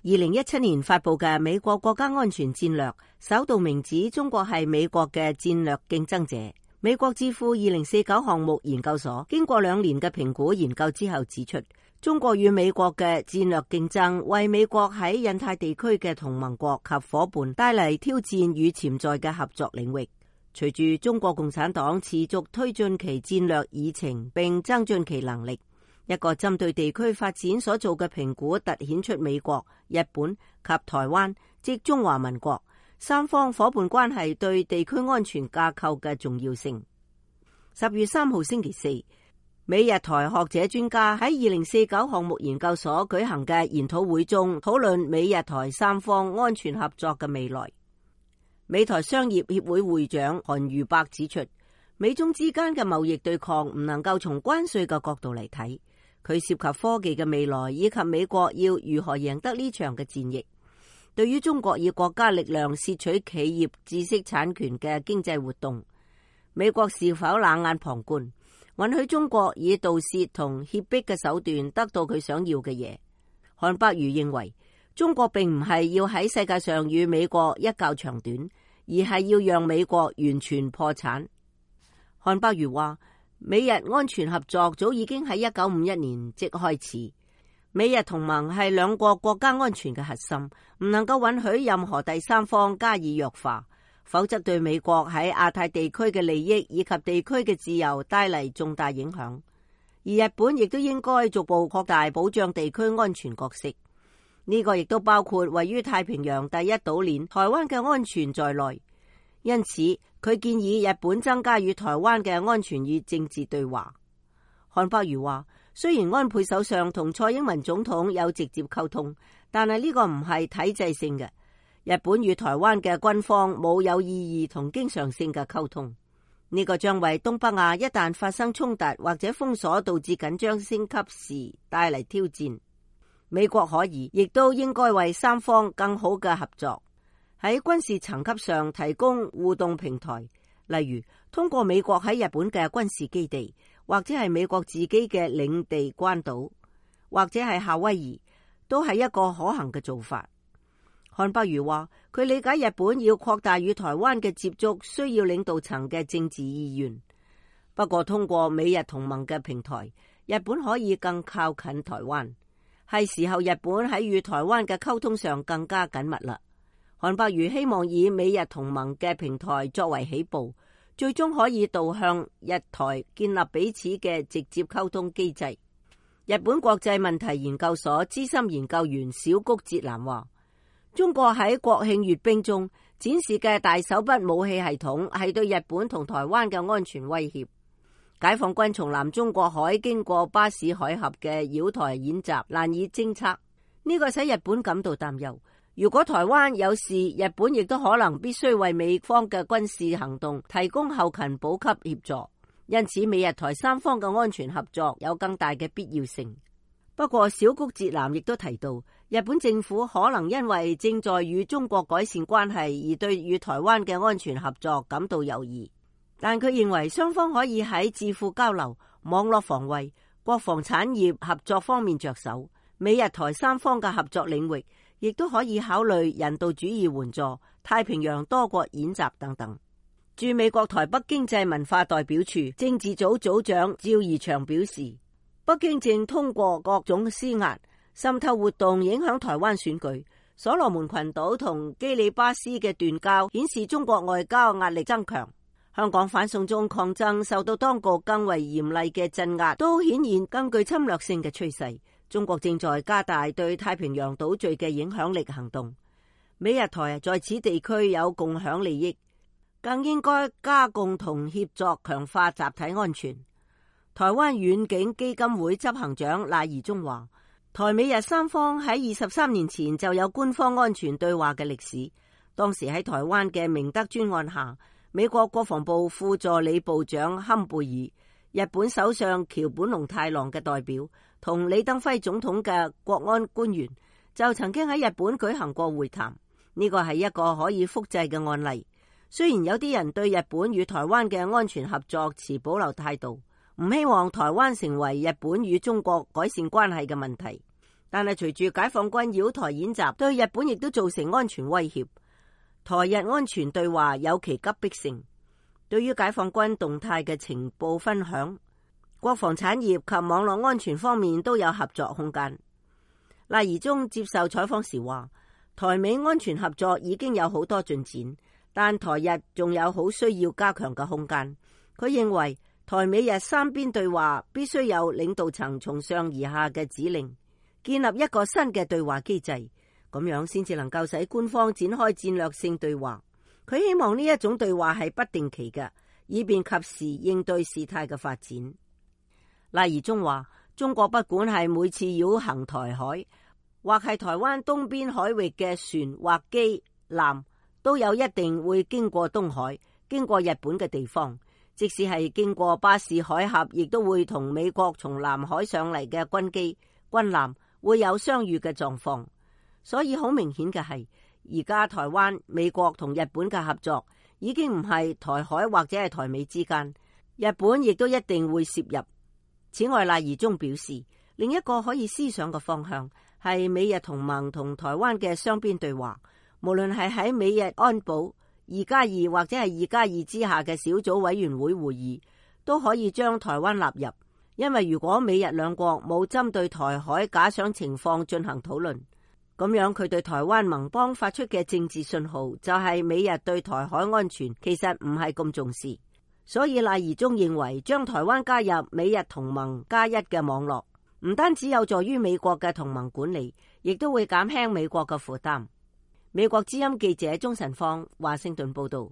2017年發布嘅美國國家安全戰略首度明指中國係美國嘅戰略競爭者。美國智庫2049項目研究所經過2年嘅評估研究之後指出，中國與美國嘅戰略競爭為美國喺印太地區嘅同盟國及夥伴帶嚟挑戰與潛在嘅合作領域。隨住中國共產黨持續推進其戰略議程並增進其能力，一個針對地區發展所做嘅評估凸顯出美國、日本及台灣即中華民國三方夥伴關係對地區安全架構嘅重要性。10月3號星期四，美日台學者專家喺2049項目研究所舉行嘅研討會中討論美日台三方安全合作嘅未來。美台商業協會會長韓如伯指出，美中之間嘅貿易對抗唔能夠從關稅嘅角度嚟睇，佢涉及科技嘅未來以及美國要如何贏得呢場嘅戰役。對於中國以國家力量竊取企業知識產權嘅經濟活動，美國是否冷眼旁觀，允許中國以盜竊同脅迫嘅手段得到佢想要嘅嘢？韓伯瑜認為，中國並唔係要喺世界上與美國一較長短，而係要讓美國完全破產。韓伯瑜話，美日安全合作早已經喺1951年即開始。美日同盟係兩個國家安全嘅核心，唔能夠允許任何第三方加以弱化，否則對美國喺亞太地區嘅利益以及地區嘅自由帶嚟重大影響。而日本亦都應該逐步擴大保障地區安全角色，呢個亦都包括位於太平洋第一島鏈台灣嘅安全在內。因此，佢建議日本增加與台灣嘅安全與政治對話。韓伯瑜話，雖然安倍首相同蔡英文總統有直接溝通，但係呢個唔係體制性嘅。日本與台灣嘅軍方冇有意義同經常性嘅溝通，呢個將為東北亞一旦發生衝突或者封鎖導致緊張升級時帶嚟挑戰。美國可以亦都應該為三方更好嘅合作，喺軍事層級上提供互動平台，例如通過美國喺日本嘅軍事基地，或者係美國自己嘅領地關島，或者係夏威夷，都係一個可行嘅做法。韓伯瑜話，佢理解日本要擴大與台灣嘅接觸，需要領導層嘅政治意願。不過通過美日同盟嘅平台，日本可以更靠近台灣，係時候日本喺與台灣嘅溝通上更加緊密啦。韓伯瑜希望以美日同盟嘅平台作為起步，最終可以導向日台建立彼此嘅直接溝通機制。日本國際問題研究所資深研究員小谷哲男話，中國喺國慶閱兵中展示嘅大手筆武器系統係對日本同台灣嘅安全威脅。解放軍從南中國海經過巴士海峽嘅繞台演習難以偵測，呢個使日本感到擔憂。如果台灣有事，日本亦都可能必須為美方嘅軍事行動提供後勤補給協助，因此美日台三方嘅安全合作有更大嘅必要性。不過小谷哲男亦都提到，日本政府可能因為正在與中國改善關係而對與台灣嘅安全合作感到猶豫，但佢認為雙方可以喺智庫交流、網絡防衛、國防產業合作方面着手，美日台三方嘅合作領域亦都可以考慮人道主義援助、太平洋多國演習等等。駐美國台北經濟文化代表處政治組組長趙怡翔表示，北京正通過各種施壓、滲透活動影響台灣選舉。所羅門群島同基里巴斯嘅斷交顯示中國外交壓力增強。香港反送中抗爭受到當局更為嚴厲嘅鎮壓，都顯現更具侵略性嘅趨勢。中國正在加大對太平洋島嶼嘅影響力行動。美日台在此地區有共享利益，更應該加共同協作強化集體安全。台灣遠景基金會執行長賴宜中話，台美日三方喺23年前就有官方安全對話嘅歷史。當時喺台灣嘅明德專案下，美國國防部副助理部長坎貝爾、日本首相橋本龍太郎嘅代表同李登輝總統嘅國安官員就曾經喺日本舉行過會談。呢個係一個可以複製嘅案例。雖然有啲人對日本與台灣嘅安全合作持保留態度，唔希望台灣成為日本與中國改善關係嘅問題，但係隨住解放軍擾台演習，對日本亦都造成安全威脅。台日安全對話有其急迫性，對於解放軍動態嘅情報分享，國防產業及網絡安全方面都有合作空間。賴宜中接受採訪時話，台美安全合作已經有好多進展，但台日仲有好需要加強嘅空間。佢認為台美日三邊對話必須有領導層從上而下嘅指令，建立一個新嘅對話機制，咁樣先至能夠使官方展開戰略性對話。佢希望呢一種對話係不定期嘅，以便及時應對事態嘅發展。賴宜中話，中國不管係每次繞行台海，或係台灣東邊海域嘅船或機艦，都有一定會經過東海，經過日本嘅地方。即使係經過巴士海峽，亦都會同美國從南海上嚟嘅軍機、軍艦會有相遇嘅狀況。所以好明顯嘅係，而家台灣、美國同日本嘅合作已經唔係台海或者係台美之間，日本亦都一定會涉入。此外，賴宜中表示，另一個可以思想嘅方向係美日同盟同台灣嘅雙邊對話，無論係喺美日安保2+2或者係2+2之下嘅小組委員會會議，都可以將台灣納入。因為如果美日兩國冇針對台海假想情況進行討論，咁樣佢對台灣盟邦發出嘅政治信號就係美日對台海安全其實唔係咁重視。所以賴宜中認為，將台灣加入美日同盟+1嘅網絡，唔單止有助於美國嘅同盟管理，亦都會減輕美國嘅負擔。美國之音記者鍾晨芳華盛頓報道。